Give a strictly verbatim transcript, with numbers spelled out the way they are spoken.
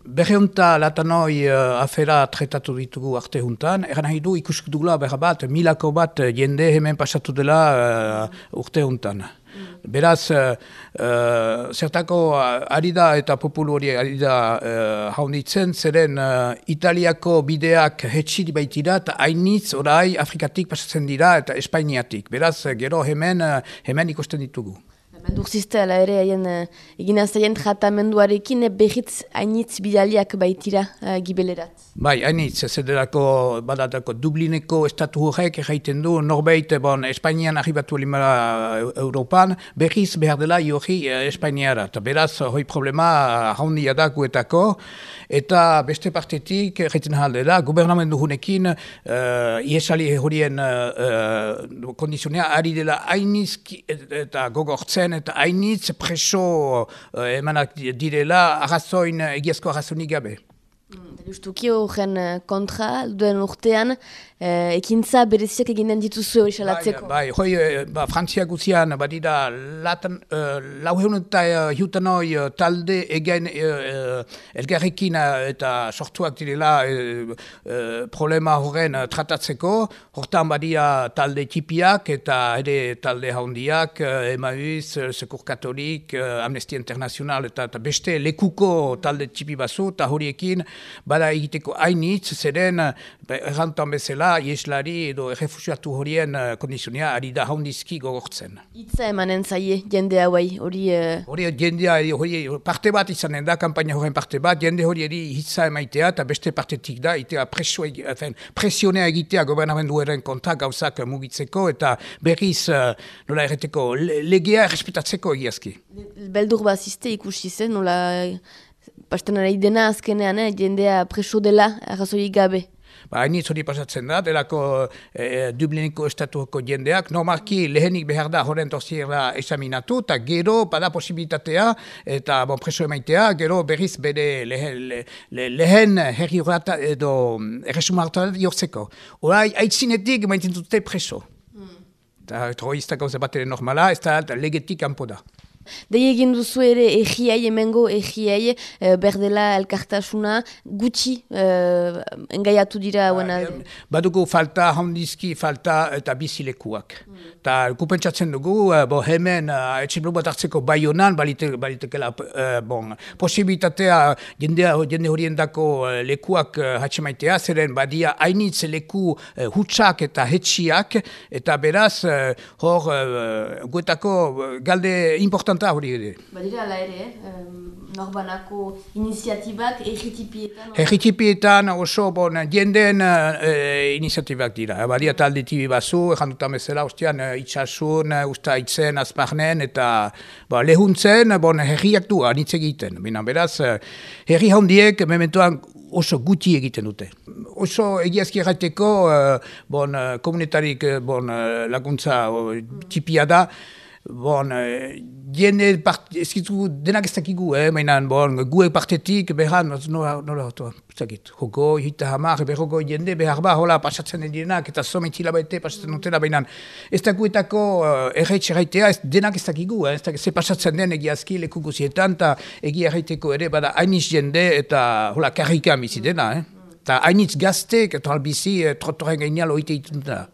berreunta latanoi uh, afera tretatu ditugu arte juntan, eran nahi du ikusik dugula berra bat, milako bat jende hemen pasatu dela uh, urte juntan. Beraz, uh, uh, zertako ari da eta populu hori ari da uh, haunitzen, zeren uh, Italiako bideak hetxit baitira eta hainitz orai Afrikatik pasatzen dira eta Espainiatik. Beraz, gero hemen, uh, hemen ikusten ditugu. Mendurzizte, ala ere, haien egin azteien tratamenduarekin behitz hainitz bidaliak baitira uh, gibelerat. Bai, hainitz, zederako badatako Dublineko estatu horrek erraiten du, norbeit, bon, Espainian arribatu elimara Europan, behiz behar dela jorri Espainiara. Eta beraz, hoi problema haundia da guetako, eta beste partetik, erraiten dela, gobernamendu hunekin, uh, iesali horien uh, kondizionea, ari dela hainitz eta gogortzen, eta hainitz preso uh, emanak direla arrazoin, egiazko arrazoinik gabe. Justuki horren kontra, duen urtean, eh, ekintza bereziak eginen dituzu hori salatzeko. Bai, bai, hoi, ba, Frantzia guzian, badira, latan, uh, lauheun eta uh, hiutanoi uh, talde egen uh, elgarrekin uh, eta sortuak direla uh, uh, problema horren uh, tratatzeko, hortan badira talde tipiak eta ere talde haundiak, uh, Emmaüs, uh, Secours Katolik, uh, Amnesty International eta, eta beste lekuko talde tipi bazu, eta horiekin, bada egiteko hainitz, zeren errantan bezala, ieslari edo errefusiatu horien kondizionea ari da haundizki gogortzen. Itza emanen zaie, jende hauai, hori... Hori jendea, hori parte bat izanen da, kampaina horren parte bat, jende hori eri hitza emaitea, eta beste partetik da, itea presionea egitea gobernamenduaren konta gauzak mugitzeko, eta berriz, nola erreteko, legea errespetatzeko egiazki. Beldur bazizte ikusi zen, nola... Pasten ari dena azkenean, eh, jendea preso dela, arrazoik gabe. Ba, hainitz hori pasatzen da, delako eh, Dublineko estatuko jendeak, normalki lehenik behar da horren torziera esaminatu, eta gero bada posibilitatea, eta bon, preso emaitea, gero berriz bere lehen, le, le, lehen herri horreta edo erresumartara jortzeko. Horai, aitzinetik maintzen dute preso. Eta terrorista gauza bat ere normala, ez da legetik kanpo da. Dei egin duzu ere egiai, emengo egiai, e, berdela elkartasuna, gutxi e, engaiatu dira hauen alde. Badugu falta, handizki falta eta bizilekuak. Eta mm. kupentsatzen dugu, bo, hemen uh, etxiblu bat hartzeko baionan, balitekela uh, bon, posibilitatea jende, jende horien dako uh, lekuak uh, hatxemaitea, zeren badia hainitz leku uh, hutsak eta hetxiak, eta beraz, uh, hor, uh, guetako galde important hori ere. Badira ala ere, eh? Norbanako iniziatibak erritipietan? Erritipietan oso bon, jendeen eh, iniziatibak dira. Badia talde tibi bazu, jandutan bezala, ostian itxasun, usta itzen, azparnen, eta ba, lehuntzen, bon, herriak du, anitz egiten. Bina, beraz, herri handiek mementoan oso guti egiten dute. Oso egiazki errateko, eh, bon, komunetarik bon, laguntza tipia da, bon, jende eskitu denak ez dakigu, eh, mainan, bon, gue partetik behan, nola, nola, zakit, joko, hita hamar, berroko jende behar ba, hola, pasatzen den direnak, eta sometila baite pasatzen dutela, bainan, ez dakuetako uh, erraitz erraitea, ez denak ez dakigu, eh, ez dakigu, ze pasatzen den egiazki leku guzietan, eta egia erraiteko ere, bada, hainitz jende, eta, hola, karrika bizi dena, eh, eta hainitz gaztek, eta albizi, eh, trotoren gainal oite itun da.